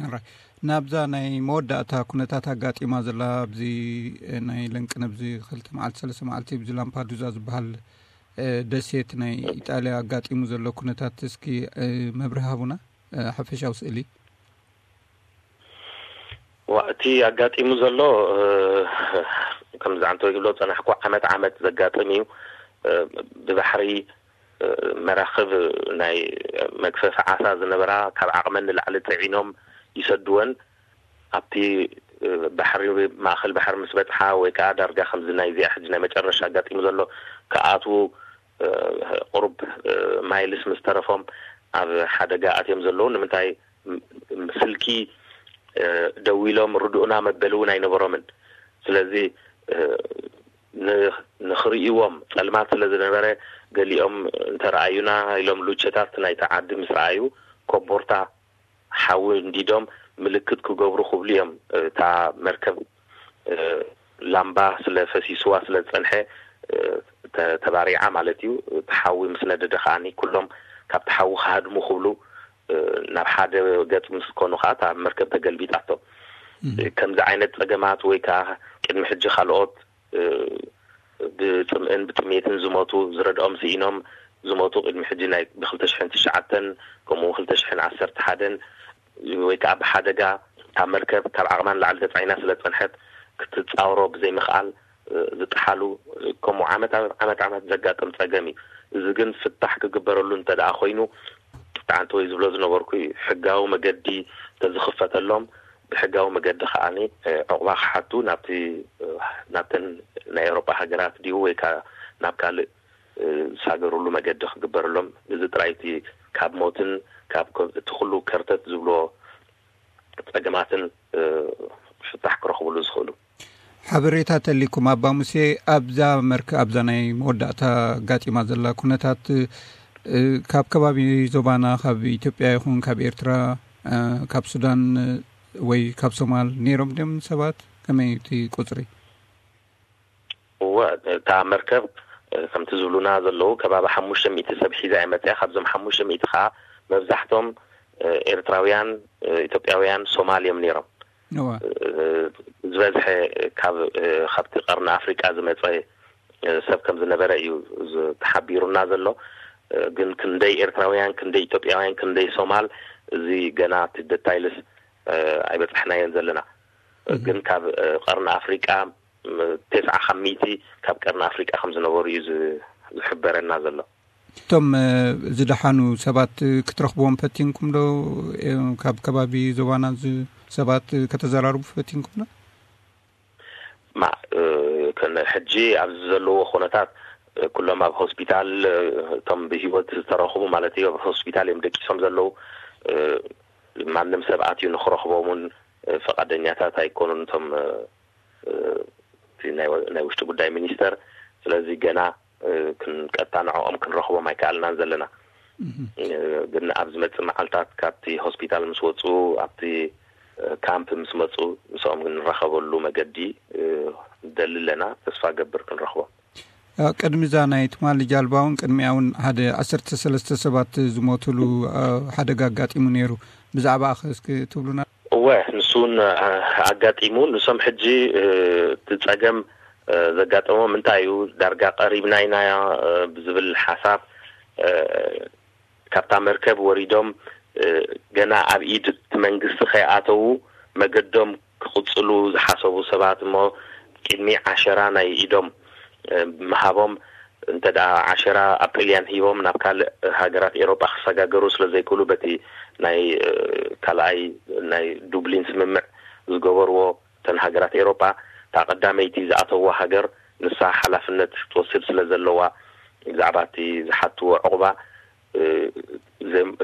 ኣራይ፣ ናብዛ ናይ መወዳእታ ኩነታት ኣጋጢማ ዘላ ኣብዚ ናይ ለንቅነ ኣብዚ ክልተ መዓልቲ ሰለስተ መዓልቲ ኣብዚ ላምፓዱዛ ዝበሃል ደሴት ናይ ኢጣልያ ኣጋጢሙ ዘሎ ኩነታት እስኪ መብርህ ሃቡና። ሓፈሻዊ ስእሊ። እቲ ኣጋጢሙ ዘሎ ከምዚ ዓንተወይ ክብሎ ዝፀናሕኩ ዓመት ዓመት ዘጋጥም እዩ። ብባሕሪ መራኽብ ናይ መግፈፊ ዓሳ ዝነበራ ካብ ዓቕመን ንላዕሊ ፅዒኖም ይሰድወን። ኣብቲ ባሕሪ ማእኸል ባሕሪ ምስ በፅሓ ወይ ከዓ ዳርጋ ከምዚ ናይ እዚኣ ሕጂ ናይ መጨረሻ ኣጋጢሙ ዘሎ ክኣትዉ ቁሩብ ማይልስ ምስ ተረፎም ኣብ ሓደጋ ኣትዮም ዘለዉ። ንምንታይ ስልኪ ደዊሎም ርድኡና መበሊ እውን ኣይነበሮምን። ስለዚ ንኽርእይዎም ፀልማት ስለ ዝነበረ ገሊኦም እንተረኣዩና ኢሎም ሉቸታት ናይቲ ዓዲ ምስ ረኣዩ ኮቦርታ ሓዊ እንዲዶም ምልክት ክገብሩ ክብሉ እዮም። እታ መርከብ ላምባ ስለ ፈሲስዋ ስለ ዝፀንሐ ተባሪዓ ማለት እዩ። እቲ ሓዊ ምስ ነደደ ከዓኒ ኩሎም ካብቲ ሓዊ ክሃድሙ ክብሉ ናብ ሓደ ገፅ ምስ ኮኑ ከዓ እታ መርከብ ተገልቢጣቶም። ከምዚ ዓይነት ፀገማት ወይ ከዓ ቅድሚ ሕጂ ካልኦት ብፅምእን ብጥሜትን ዝሞቱ ዝረድኦም ስኢኖም ዝሞቱ ቅድሚ ሕጂ ናይ ብክልተ ሽሕን ትሽዓተን ከምኡ እውን ክልተ ሽሕን ዓሰርተ ሓደን ወይ ከዓ ብሓደጋ ካብ መርከብ ካብ ዓቕማ ንላዕሊ ተፃዒና ስለ ዝፀንሐት ክትፃወሮ ብዘይምኽኣል ዝጠሓሉ ከምኡ ዓመት ዓመት ዓመት ዓመት ዘጋጥም ፀገም እዩ። እዚ ግን ፍታሕ ክግበረሉ እንተ ደኣ ኮይኑ ኣንተ ወይ ዝብሎ ዝነበርኩ ሕጋዊ መገዲ ተዝኽፈተሎም ብሕጋዊ መገዲ ከዓኒ ዕቑባ ክሓቱ ናብቲ ናብተን ናይ ኤውሮጳ ሃገራት ድዩ ወይ ከዓ ናብ ካልእ ዝሳገርሉ መገዲ ክግበረሎም እዚ ጥራይ እቲ ካብ ሞትን ካብ እቲ ኩሉ ከርተት ዝብሎ ፀገማትን ፍታሕ ክረኽብሉ ዝኽእሉ። ሓበሬታ ተሊኩም ኣባ ሙሴ ኣብዛ መርክ ኣብዛ ናይ መወዳእታ ኣጋጢማ ዘላ ኩነታት ካብ ከባቢ ዞባና ካብ ኢትዮጵያ ይኹን ካብ ኤርትራ ካብ ሱዳን ወይ ካብ ሶማል ነይሮም ድም ሰባት ከመይ እቲ ቁፅሪ? እወ እታ መርከብ ከምቲ ዝብሉና ዘለዉ ከባቢ ሓሙሽተ ሚእቲ ሰብ ሒዛ እየ መፅያ። ካብዞም ሓሙሽተ ሚእቲ ከዓ መብዛሕቶም ኤርትራውያን፣ ኢትዮጵያውያን፣ ሶማል እዮም ነይሮም። ዝበዝሐ ካብ ካብቲ ቀርኒ ኣፍሪቃ ዝመፀ ሰብ ከም ዝነበረ እዩ ተሓቢሩና ዘሎ። ግን ክንደይ ኤርትራውያን፣ ክንደይ ኢትዮጵያውያን፣ ክንደይ ሶማል፣ እዚ ገና እቲ ደታይልስ ኣይበፃሕናዮን ዘለና። ግን ካብ ቀርኒ ኣፍሪቃ ተስዓ ካብ ሚእቲ ካብ ቀርኒ ኣፍሪቃ ከም ዝነበሩ እዩ ዝሕበረና ዘሎ። እቶም ዝደሓኑ ሰባት ክትረኽብዎም ፈቲንኩም ዶ? ካብ ከባቢ ዞባና ሰባት ከተዘራርቡ ፈቲንኩም ዶ? ማ ሕጂ ኣብዚ ዘለዎ ኩነታት ኩሎም ኣብ ሆስፒታል እቶም ብሂወት ዝተረኽቡ ማለት እዩ ኣብ ሆስፒታል እዮም ደቂሶም ዘለዉ። ማንም ሰብ ኣትዩ ንክረኽቦም እውን ፈቃደኛታት ኣይኮኑን እቶም ናይ ውሽጢ ጉዳይ ሚኒስተር። ስለዚ ገና ክንቀጣንዖኦም ክንረኽቦም ኣይከኣልናን ዘለና። ግን ኣብ ዝመፅእ መዓልታት ካብቲ ሆስፒታል ምስ ወፁ ኣብቲ ካምፕ ምስ መፁ ምስኦም ንራኸበሉ መገዲ ንደሊ ኣለና። ተስፋ ገብር ክንረኽቦም። ቅድሚ እዛ ናይ ትማሊ ጃልባ እውን ቅድሚኣ እውን ሓደ ዓሰርተ ሰለስተ ሰባት ዝሞትሉ ሓደጋ ኣጋጢሙ ነይሩ። ብዛዕባ ኣኸ እስኪ ትብሉና? እወ ንሱ እውን ኣጋጢሙ። ንሶም ሕጂ እቲ ፀገም ዘጋጠሞም እንታይ እዩ ዳርጋ ቀሪብና ኢና ብዝብል ሓሳብ ካብታ መርከብ ወሪዶም ገና ኣብ ኢድ እቲ መንግስቲ ከይኣተዉ መገዶም ክቕፅሉ ዝሓሰቡ ሰባት እሞ ቅድሚ ዓሸራ ናይ ኢዶም ምሃቦም እንተ ደኣ ዓሸራ ኣብ ጥልያን ሂቦም ናብ ካልእ ሃገራት ኤሮጳ ክሰጋገሩ ስለ ዘይክእሉ በቲ ናይ ካልኣይ ናይ ዱብሊን ስምምዕ ዝገበርዎ እተን ሃገራት ኤሮጳ እታ ቀዳመይቲ ዝኣተውዋ ሃገር ንሳ ሓላፍነት ክትወስድ ስለ ዘለዋ ብዛዕባ እቲ ዝሓትዎ ዕቑባ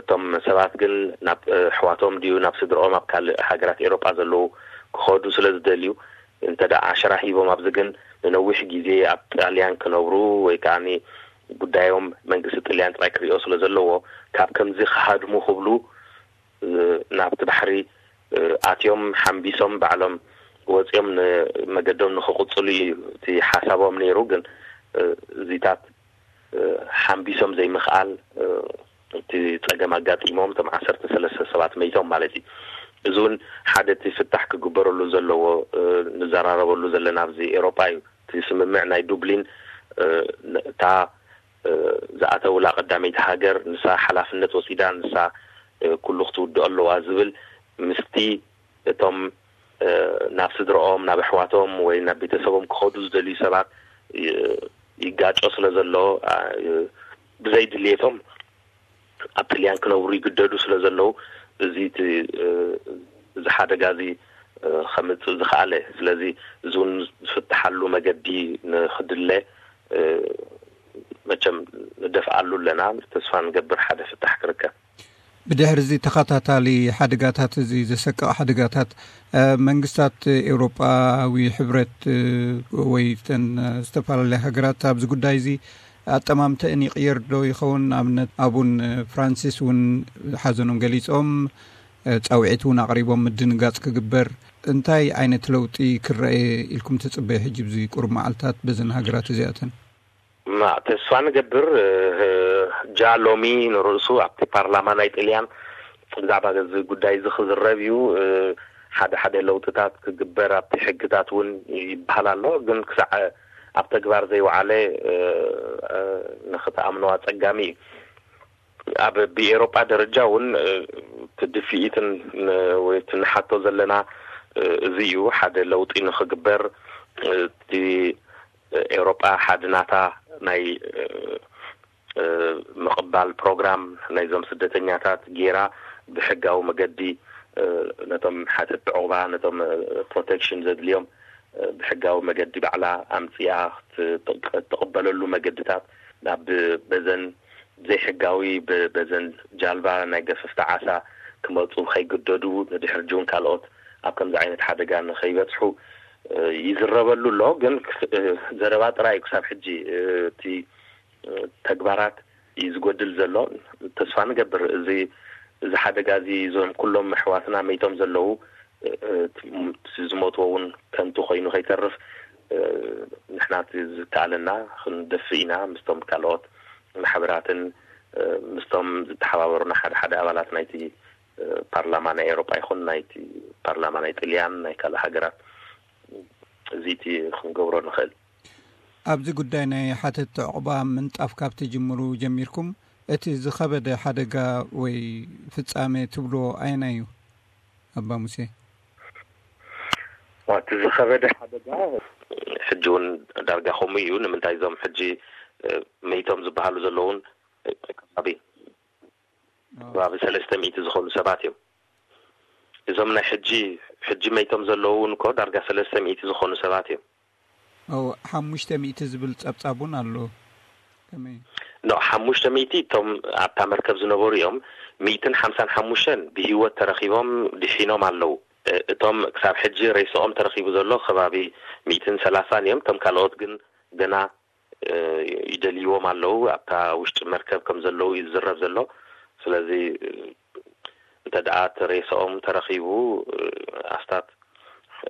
እቶም ሰባት ግን ናብ ኣሕዋቶም ድዩ ናብ ስድርኦም ኣብ ካልእ ሃገራት ኤሮጳ ዘለዉ ክኸዱ ስለ ዝደልዩ እንተ ደኣ ዓሸራ ሂቦም ኣብዚ ግን ንነዊሕ ግዜ ኣብ ጣልያን ክነብሩ ወይ ከዓ ጉዳዮም መንግስቲ ጥልያን ጥራይ ክሪኦ ስለ ዘለዎ ካብ ከምዚ ክሃድሙ ክብሉ ናብቲ ባሕሪ ኣትዮም ሓምቢሶም ባዕሎም ወፂኦም ንመገዶም ንክቕፅሉ እዩ እቲ ሓሳቦም ነይሩ። ግን እዚታት ሓምቢሶም ዘይምኽኣል እቲ ፀገም ኣጋጢሞም እቶም ዓሰርተ ሰለስተ ሰባት መይቶም ማለት እዩ። እዚ እውን ሓደ እቲ ፍታሕ ክግበረሉ ዘለዎ፣ ንዘራረበሉ ዘለና ኣብዚ ኤውሮጳ እዩ። እቲ ስምምዕ ናይ ዱብሊን እታ ዝኣተውላ ቀዳመይቲ ሃገር ንሳ ሓላፍነት ወሲዳ፣ ንሳ ኩሉ ክትውድኦ ኣለዋ ዝብል ምስቲ እቶም ናብ ስድረኦም፣ ናብ ኣሕዋቶም ወይ ናብ ቤተሰቦም ክኸዱ ዝደልዩ ሰባት ይጋጮ ስለ ዘሎ፣ ብዘይ ድልየቶም ኣብ ጥልያን ክነብሩ ይግደዱ ስለ ዘለዉ፣ እዚ እቲ እዚ ሓደጋ እዚ ከምፅእ ዝኸኣለ። ስለዚ እዚ እውን ዝፍትሓሉ መገዲ ንክድለ መቸም ንደፍኣሉ ኣለና። ተስፋ ንገብር ሓደ ፍታሕ ክርከብ። ብድሕሪ እዚ ተኸታታሊ ሓደጋታት፣ እዚ ዘሰቅቕ ሓደጋታት፣ መንግስታት ኤውሮጳዊ ሕብረት ወይ ተን ዝተፈላለያ ሃገራት ኣብዚ ጉዳይ እዚ ኣጠማምተእን ይቕየር ዶ ይኸውን? ኣብነት ኣቡን ፍራንሲስ እውን ሓዘኖም ገሊጾም፣ ጻውዒት እውን ኣቕሪቦም ምድንጋጽ ክግበር። እንታይ ዓይነት ለውጢ ክረአ ኢልኩም ትጽበዩ ሕጂ ብዚ ቁሩብ መዓልታት በዘን ሃገራት እዚኣተን? ማ ተስፋ ንገብር፣ ጃ ሎሚ ንርእሱ ኣብቲ ፓርላማ ናይ ጥልያን ብዛዕባ እዚ ጉዳይ እዚ ክዝረብ እዩ። ሓደ ሓደ ለውጥታት ክግበር ኣብቲ ሕግታት እውን ይበሃል ኣሎ። ግን ክሳዕ ኣብ ተግባር ዘይወዓለ ንክትኣምኖ ኣጸጋሚ እዩ። ኣብ ብኤውሮጳ ደረጃ እውን እቲ ድፍኢትን ወይ እቲ ንሓቶ ዘለና እዚ እዩ። ሓደ ለውጢ ንክግበር እቲ ኤውሮጳ ሓድናታ ናይ ምቕባል ፕሮግራም ናይዞም ስደተኛታት ገይራ ብሕጋዊ መገዲ ነቶም ሓተቲ ዕቑባ፣ ነቶም ፕሮቴክሽን ዘድልዮም ብሕጋዊ መገዲ ባዕላ ኣምፅኣ ትቕበለሉ መገድታት ናብ በዘን ዘይሕጋዊ በዘን ጃልባ ናይ ገፈፍቲ ዓሳ ክመፁ ከይግደዱ ንድሕር ጅውን ካልኦት ኣብ ከምዚ ዓይነት ሓደጋ ንከይበፅሑ ይዝረበሉ ኣሎ። ግን ዘረባ ጥራይ ክሳብ ሕጂ እቲ ተግባራት እዩ ዝጎድል ዘሎ። ተስፋ ንገብር እዚ እዚ ሓደጋ እዚ እዞም ኩሎም ኣሕዋትና መይቶም ዘለዉ ዝሞትዎ እውን ከንቱ ኮይኑ ከይተርፍ ንሕና ዝከኣለና ክንደፍእ ኢና። ምስቶም ካልኦት ማሕበራትን ምስቶም ዝተሓባበሩና ሓደ ሓደ ኣባላት ናይቲ ፓርላማ ናይ ኤውሮጳ ይኹን ናይቲ ፓርላማ ናይ ጥልያን ናይ ካልእ ሃገራት እዚ እቲ ክንገብሮ ንኽእል። ኣብዚ ጉዳይ ናይ ሓተቲ ዕቑባ ምንጣፍ ካብ ትጅምሩ ጀሚርኩም እቲ ዝኸበደ ሓደጋ ወይ ፍጻሜ ትብልዎ ኣየናይ እዩ? ኣባ ሙሴ። እቲ ዝኸበደ ሓደጋ ሕጂ እውን ዳርጋ ከምኡ እዩ። ንምንታይ እዞም ሕጂ መይቶም ዝበሃሉ ዘለውን ከባቢ ከባቢ ሰለስተ ሚእቲ ዝኾኑ ሰባት እዮም። እዞም ናይ ሕጂ ሕጂ መይቶም ዘለዉ እውን እኮ ዳርጋ ሰለስተ ሚእቲ ዝኾኑ ሰባት እዮም። ሓሙሽተ ሚእቲ ዝብል ጸብጻብ እውን ኣሎ። ከመይ? ኖ ሓሙሽተ ሚእቲ እቶም ኣብታ መርከብ ዝነበሩ እዮም። ሚእትን ሓምሳን ሓሙሽተን ብህይወት ተረኺቦም ድሒኖም ኣለዉ። እቶም ክሳብ ሕጂ ሬስኦም ተረኺቡ ዘሎ ከባቢ ሚእትን ሰላሳን እዮም። እቶም ካልኦት ግን ገና ይደልይዎም ኣለዉ። ኣብታ ውሽጢ መርከብ ከም ዘለዉ እዩ ዝዝረብ ዘሎ። ስለዚ እንተ ደኣ እቲ ሬስኦም ተረኺቡ ኣስታት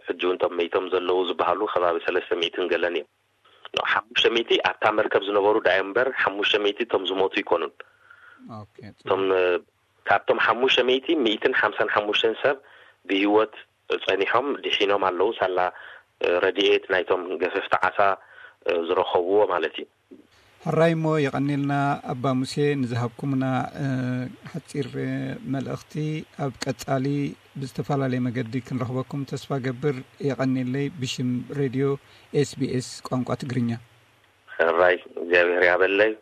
ሕጂ እውን እቶም መይቶም ዘለዉ ዝበሃሉ ከባቢ ሰለስተ ሚእትን ገለን እዮም። ሓሙሽተ ሚእቲ ኣብታ መርከብ ዝነበሩ ደኣ እዮም እምበር ሓሙሽተ ሚእቲ እቶም ዝሞቱ ኣይኮኑን። እቶም ካብቶም ሓሙሽተ ሚእቲ ሚእትን ሓምሳን ሓሙሽተን ሰብ ብህይወት ጸኒሖም ድሒኖም ኣለዉ። ሳላ ረድኤት ናይቶም ገፈፍቲ ዓሳ ዝረኸብዎ ማለት እዩ። ሕራይ እሞ የቐኒልና ኣባ ሙሴ ንዝሃብኩምና ሓፂር መልእኽቲ። ኣብ ቀፃሊ ብዝተፈላለየ መገዲ ክንረኽበኩም ተስፋ ገብር። የቐኒለይ ብሽም ሬድዮ ኤስቢኤስ ቋንቋ ትግርኛ። ሕራይ እግዚኣብሔር ያበለይ።